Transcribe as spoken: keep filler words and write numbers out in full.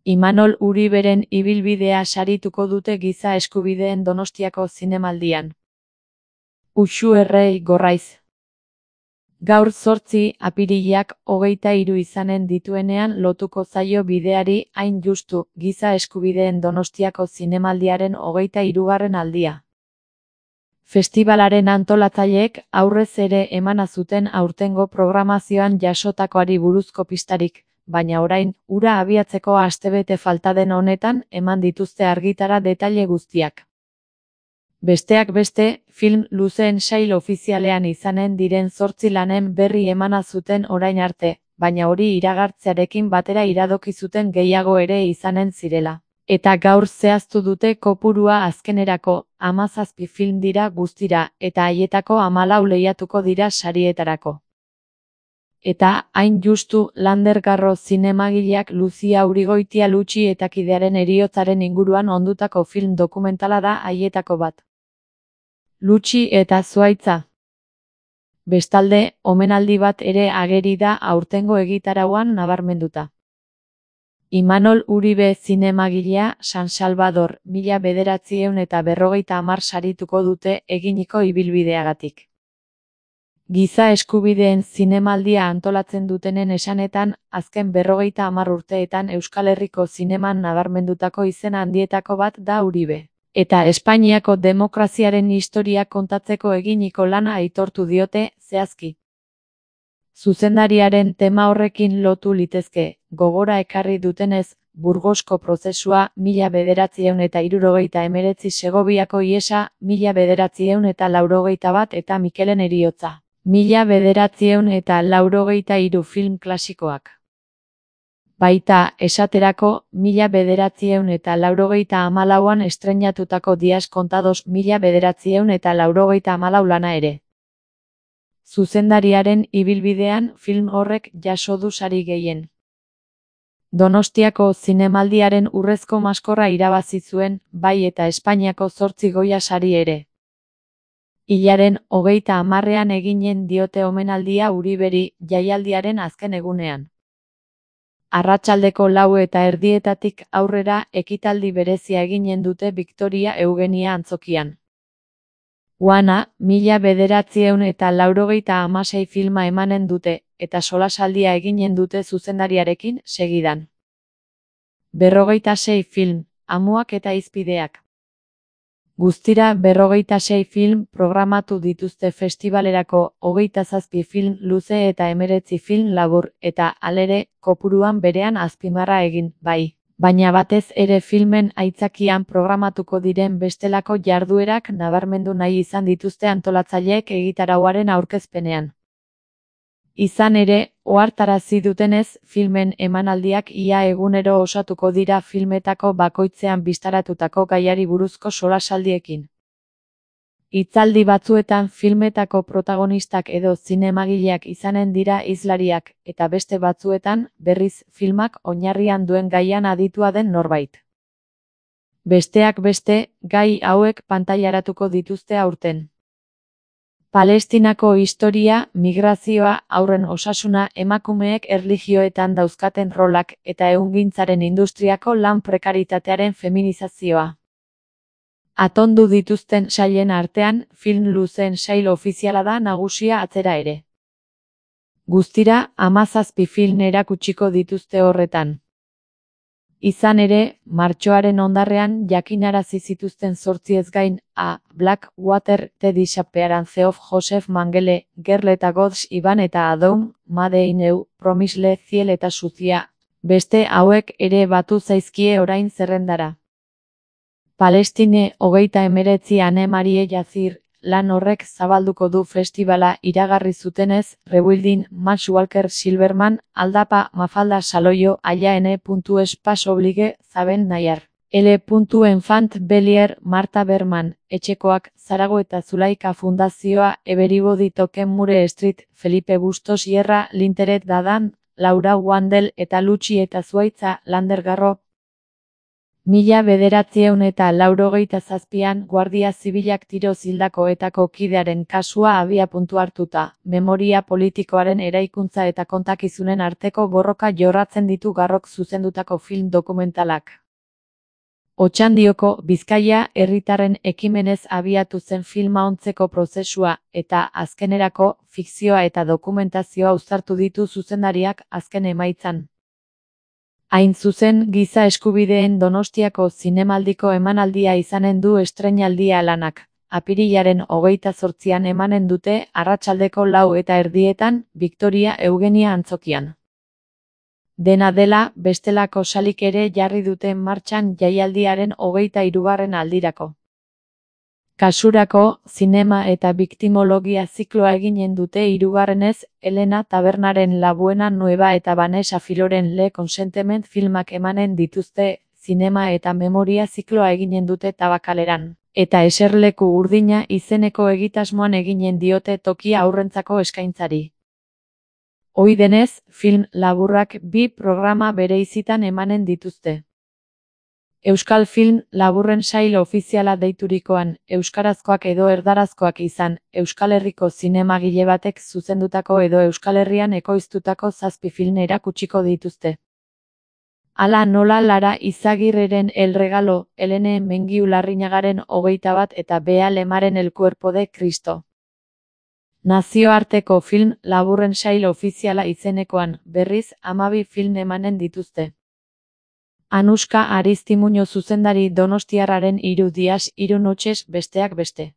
Imanol Uriberen ibilbidea sarituko dute Giza Eskubideen Donostiako Zinemaldian. Uxu Errei Gorraiz. Gaur zortzi apirilak hogeita hiru izanen dituenean lotuko zaio bideari hain justu Giza Eskubideen Donostiako Zinemaldiaren hogeita hirugarren aldia. Festibalaren antolatzaileek aurrez ere emana zuten aurtengo programazioan jasotakoari buruzko pistarik, baina orain, hura abiatzeko astebete falta den honetan eman dituzte argitara detaile guztiak. Besteak beste, film luzeen sail ofizialean izanen diren zortzi lanen berri emana zuten orain arte, baina hori iragartzearekin batera iradoki zuten gehiago ere izanen zirela. Eta gaur zehaztu dute kopurua azkenerako, hamazazpi film dira guztira, eta haietako hamalau lehiatuko dira sarietarako. Eta, hain justu, Lander Garro zinemagileak Luzia Urigoitia Lutxi eta kidearen heriotzaren inguruan ondutako film dokumentala da haietako bat. Lutxi eta Zuhaitza. Bestalde, omenaldi bat ere ageri da aurtengo egitarauan nabarmenduta. Imanol Uribe zinemagilea San Salvador, mila bederatziehun eta berrogeita hamar sarituko dute eginiko ibilbideagatik. Giza Eskubideen Zinemaldia antolatzen dutenen esanetan, azken berrogeita hamar urteetan Euskal Herriko zineman nabarmendutako izen handietako bat da Uribe. Eta Espainiako demokraziaren historia kontatzeko eginiko lana aitortu diote, zehazki. Zuzendariaren tema horrekin lotu litezke, gogora ekarri dutenez, Burgosko prozesua, mila bederatziehun eta hirurogeita hemeretzi Segoviako ihesa, mila bederatziehun eta laurogeita bat eta Mikelen heriotza. Mila bederatziehun eta laurogeita hiru film klasikoak. Baita, esaterako, mila bederatziehun eta laurogeita hamalauan estreinatutako Dias Contados mila bederatziehun eta laurogeita hamalau lana ere. Zuzendariaren ibilbidean film horrek jaso du sari gehien. Donostiako Zinemaldiaren urrezko maskorra irabazi zuen, bai eta Espainiako zortzi Goya sari ere. Hilaren hogeita hamarrean eginen diote omenaldia Uriberi jaialdiaren azken egunean. Arratsaldeko lau eta erdietatik aurrera ekitaldi berezia eginen dute Victoria Eugenia antzokian. Uana, mila bederatziehun eta laurogeita hamasei filma emanen dute, eta solasaldia eginen dute zuzendariarekin segidan. Berrogeita sei film, amuak eta hizpideak. Guztira berrogeita sei film programatu dituzte festivalerako, hogeita zazpi film luze eta hemeretzi film labur, eta, halere, kopuruan berean azpimarra egin, bai. Baina batez ere filmen aitzakian programatuko diren bestelako jarduerak nabarmendu nahi izan dituzte antolatzaileek egitarauaren aurkezpenean. Izan ere, ohartarazi dutenez, filmen emanaldiak ia egunero osatuko dira filmetako bakoitzean bistaratutako gaiari buruzko solasaldiekin. Hitzaldi batzuetan filmetako protagonistak edo zinemagileak izanen dira hizlariak, eta beste batzuetan, berriz, filmak oinarrian duen gaian aditua den norbait. Besteak beste, gai hauek pantailaratuko dituzte aurten. Palestinako historia, migrazioa, haurren osasuna, emakumeek erlijioetan dauzkaten rolak, eta ehungintzaren industriako lan prekaritatearen feminizazioa. Atondu dituzten sailen artean, film luzeen sail ofiziala da nagusia atzera ere. Guztira, hamazazpi film erakutsiko dituzte horretan. Izan ere, martxoaren ondarrean jakinarazi zituzten zortziez gain, A. Black Water, The Disappearance of Joseph Mengele, Girl eta Gods Iban eta Adoum, Made in Eu, Promisle Ziel eta Suzia, beste hauek ere batu zaizkie orain zerrendara. Palestine hogeita hemeretzi Ane Marie Yazir, lan horrek zabalduko du festivala iragarri zutenez, Rebuilding, Max Walker Silverman, Aldapa, Mafalda Saloio, Aya N. Espas Oblige, Zaben Nayar, L. Enfant Belier, Marta Berman, Etxekoak, Zarago eta Zulaika Fundazioa, Everybody Token Mure Street, Felipe Bustos Sierra, Linteret Dadan, Laura Wandel eta Lutxi eta Zuhaitza, Lander Garro. Mila bederatziehun eta laurogeita zazpian Guardia Zibilak tiroz hildakoetako kidearen kasua abiapuntu hartuta, memoria politikoaren eraikuntza eta kontakizunen arteko borroka jorratzen ditu Garrok zuzendutako film dokumentalak. Otxandioko, Bizkaia herritarren ekimenez abiatu zen filma ontzeko prozesua, eta, azkenerako, fikzioa eta dokumentazioa uztartu ditu zuzendariak azken emaitzan. Hain zuzen, giza eskubideen Donostiako zinemaldiko emanaldia izanen du estreinaldia lanak. Apirilaren hogeita zortzian emanen dute, arratsaldeko lau eta erdietan, Victoria Eugenia antzokian. Dena dela, bestelako salik ere jarri dute martxan jaialdiaren hogeita hirugarren aldirako. Kasurako, zinema eta biktimologia zikloa eginen dute hirugarrenez, Elena Tabernaren La Buena Nueva eta Vanessa Filoren Le Consentiment filmak emanen dituzte, zinema eta memoria zikloa eginen dute Tabakaleran, eta Eserleku Urdina izeneko egitasmoan eginen diote tokia aurrentzako eskaintzari. Ohi denez, film laburrak bi programa bereizitan emanen dituzte. Euskal Film Laburren Sail Ofiziala deiturikoan, euskarazkoak edo erdarazkoak izan, Euskal Herriko zinemagile batek zuzendutako edo Euskal Herrian ekoiztutako zazpi film erakutsiko dituzte. Hala nola Lara Izagirreren El Regalo, Helene Mengiu Larrinagaren hogeita bat eta Bea Lemaren El Cuerpo de Cristo. Nazioarteko film laburren sail ofiziala izenekoan, berriz, hamabi film emanen dituzte. Anuska Aristimuño zuzendari donostiarraren hiru dias hiru noches besteak beste.